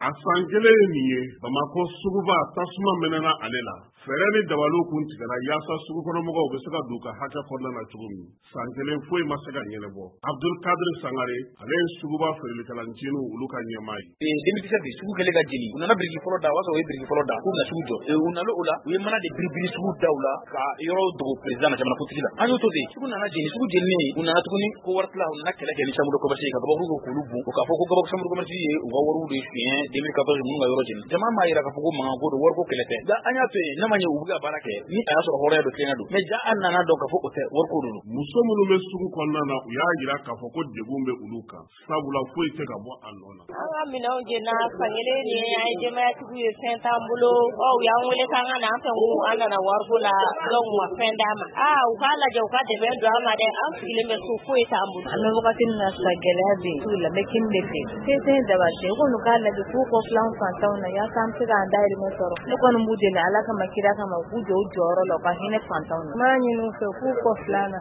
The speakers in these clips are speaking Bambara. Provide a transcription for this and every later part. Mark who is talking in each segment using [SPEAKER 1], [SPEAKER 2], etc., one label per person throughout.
[SPEAKER 1] A san kelen ye nin ye, Bamakɔ suguba tasuma mɛnɛna ale la. Fɛɛrɛ ni dabaliw kun tigɛra yaasa sugukɔnɔmɔgɔw bɛ se ka don u ka hakɛ kɔnɔna na cogo min. San kelen, foyi ma se ka ɲɛnabɔ. Abdul Kadir Sangare, ale ye suguba feerelikɛla nciniw olu ka ɲɛmaa ye.
[SPEAKER 2] 2017, sugu kɛlen ka jeni, u nana biriki fɔlɔ da. O y'a sɔrɔ u ye biriki fɔlɔ da k'u bɛna sugu jɔ. U nana o la, u ye mana de biribiri sugu daw la ka yɔrɔ dogo président na, jamanakuntigi la. An y'o to ten, sugu nana jeni. Sugu jeninen, u nana tuguni ko wari tila, u nana kɛlɛ kɛ ni chambre de commerce ye ka gabakuru kɛ k'olu bon, o k'a fɔ ko gabakuru chambre de commerce ye u ka wariw de suɲɛ 2014, minnu ka yɔrɔ jeni. Jama m'a yira k'a fɔ ko mankan ko don, wariko kɛlɛ tɛ. Nka an y'a to yen, n'a ma ɲɛ u bɛ ka baara kɛ ni a y'a sɔrɔ hɔrɔnya don, tilennenya don, mais ja an nana dɔn k'a fɔ o tɛ, wariko de don.
[SPEAKER 1] Muso minnu bɛ sugu kɔnɔna na, u y'a jira k'a fɔ ko degun bɛ olu kan, sabula foyi tɛ ka bɔ a nɔ na.
[SPEAKER 3] An ka minɛnw jenina san kelen nin ye, an ye denbayatigiw ye, fɛn t'an bolo. Ɔ, u y'an wele k'an ka na, an fɛ ko an nana wariko la, donc u ma fɛn d'an ma. Aa, u k'a lajɛ, u ka dɛmɛ don an ma dɛ. An sigilen bɛ so, foyi t'an bolo.
[SPEAKER 4] An bɛ wagati min na sisan, gɛlɛya bɛ yen sugu la, n bɛ kini de feere. Se tɛ daba cɛ, u kɔni k'a lajɛ k'u kɔfilɛ an fantanw na yaasa an bɛ se k'an dahirimɛ sɔrɔ. Ne kɔni b'u deli Ala kama, kira kama, u k'u jɔ u jɔyɔrɔ la, u ka hinɛ fantanw na.
[SPEAKER 5] N b'a ɲini u fɛ k'u kɔfilɛ an na.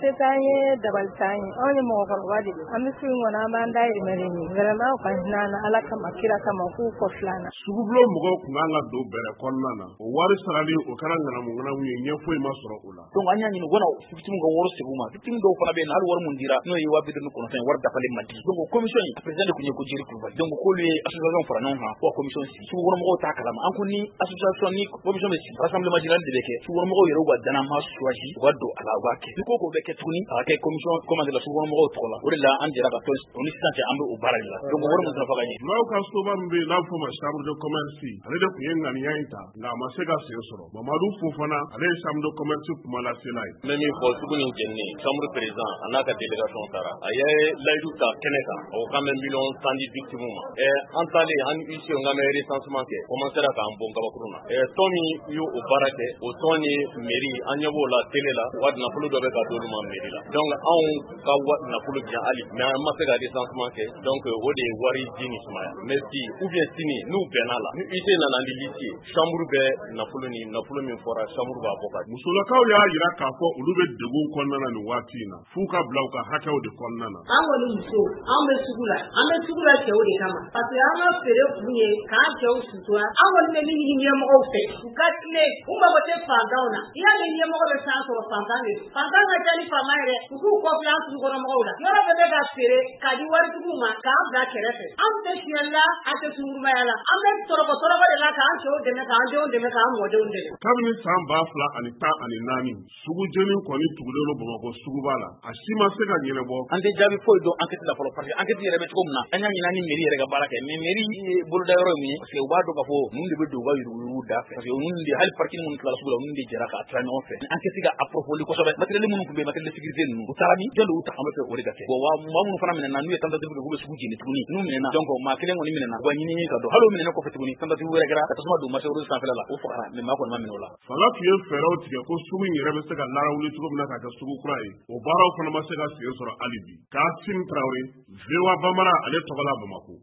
[SPEAKER 5] Se t'an ye, dabali t'an ye, anw ye mɔgɔkɔrɔba de ye, an bɛ sugu in kɔnɔ, an b'an dahirimɛ de ɲini. Vraiment, u ka hinɛ an na Ala kama, kira kama, u k'u kɔfilɛ an na.
[SPEAKER 1] Sugubulon mɔgɔw kun kan ka don bɛrɛ kɔnɔna na, o wari sarali o kɛra ŋanamu ŋanamu ye, ɲɛ foyi ma sɔrɔ o la.
[SPEAKER 2] Donc an y'a ɲini u kana victime ka wari segin u ma. Victime dɔw fana bɛ yen, hali wari mun dira, n'o ye 59 000, wari dafalen ma di. Donc o commission in, président de tun ye ko Jiri Kulubali. Donc k'olu ye association fara ɲɔgɔn kan ko ka commission sigi, sugukɔnɔmɔgɔw t'a kalama. An ko ni association ni commission bɛ sigi, rassemblement général de bɛ kɛ, sugukɔnɔmɔgɔw yɛrɛ u ka danama choisi, u ka don a la, u b'a kɛ. Ni ko ko bɛ kɛ tuguni, a ka kɛ commission, comment dire, sugukɔnɔmɔgɔw tɔgɔ la. O de la an jɛra ka tɔn o ni sisan cɛ, an bɛ o baara de la. Donc wari mun nafa ka ɲɛ.
[SPEAKER 1] Julaw ka soba min bɛ yen n'a bɛ f'o ma chambre de commerce, ale de tun ye ŋaniya in ta, nka a ma se ka sen sɔrɔ. Mamadu Fofana, ale ye chambre de commerce kumalasela ye.
[SPEAKER 6] N bɛ min fɔ, sugu nin jeninen, chambre président a n'a ka délégation taara, a ye layidu ta kɛnɛ kan, a ko k'an bɛ miliyɔn 10 di victime ma. An taalen, an ni huissier, k'an bɛ recensement kɛ, commencera k'an bon kabakuru na. Tɔn min y'o o baara kɛ, o tɔn ni mairie, an ɲɛ b'o la télé la, u ka nafolo dɔ bɛ ka d'olu ma mairie la. Donc anw ka nafolo bi yan hali, mais an ma se ka recensement kɛ. Donc o de ye wari di ni sumaya. Mais bi ou bien sini, n'u bɛnna la, ni huissier nana ni liste ye, chambre bɛ nafolo ni nafolo min fɔra, chambre b'a bɔ ka di.
[SPEAKER 1] Musolakaw y'a jira k'a fɔ olu bɛ degun kɔnɔna na nin waati in na, f'u ka bila u ka hakɛw de kɔnɔna na.
[SPEAKER 7] An kɔni muso, an bɛ sugu la, an bɛ sugu la cɛw de kama, parce que an ka feere kun ye k'an cɛw sutura. An kɔni bɛ min ɲini ɲɛmɔgɔw fɛ, u ka tilen, u mago tɛ fantanw na. I y'a mɛn ɲɛmɔgɔ bɛ san sɔrɔ, fantan de don, fantan ka ca ni faama yɛrɛ. U k'u kɔfilɛ an sugukɔnɔmɔgɔw la. Yɔrɔ bɛɛ bɛ ka feere k'a di waritigiw ma k'an bila kɛrɛfɛ. An tɛ suyɛli la, an tɛ sungurumaya la, an bɛ tɔrɔkɔ tɔrɔkɔ de la k'an cɛw dɛmɛ, k'an denw dɛmɛ, k'an mɔdenw dɛmɛ.
[SPEAKER 1] Kabini san 2014, sugu jeni kɔni tugulen don Bamakɔ suguba la, a si ma se ka ɲɛnabɔ.
[SPEAKER 2] An tɛ jaabi foyi dɔn enquête la fɔlɔ, parce que enquête yɛrɛ bɛ cogo min na, an y'a ɲini an ni mairie yɛrɛ ka baara kɛ, mais mairie ye boloda yɔrɔ ye mun ye? Parce que u b'a dɔn k'a fɔ ninnu de bɛ don u ka yuruguyurugu da fɛ, parce que ninnu de hali parking minnu tilala sugu la, ninnu de jɛra k'a tila ɲɔgɔn fɛ. Enquête ka approfondir kosɛbɛ. Matériel minnu tun bɛ yen, matériel de sécurité ninnu, u taara min, jɔn de y'u ta? An bɛ fɛ o de ka kɛ. Bon, wa maa minnu fana minɛna, n'u ye tentative kɛ k'u bɛ sugu jeni tuguni, n'u minɛna, donc maa kelen kɔni minɛna, u ka ɲini ka dɔn. Hali o minɛnen kɔfɛ tuguni, tentative wɛrɛ kɛra ka tasuma don marché rouge sanfɛla la, o fagara, mais maa kɔni ma minɛ o la.
[SPEAKER 1] Fanga tun ye fɛɛrɛw tigɛ ko sugu in yɛrɛ bɛ se ka larawuli cogo min na k'a kɛ sugu kura ye, o baaraw fana ma se ka sen sɔrɔ hali bi. Kasim Tarawele, VOA Bambara, ale tɔgɔ la Bamakɔ.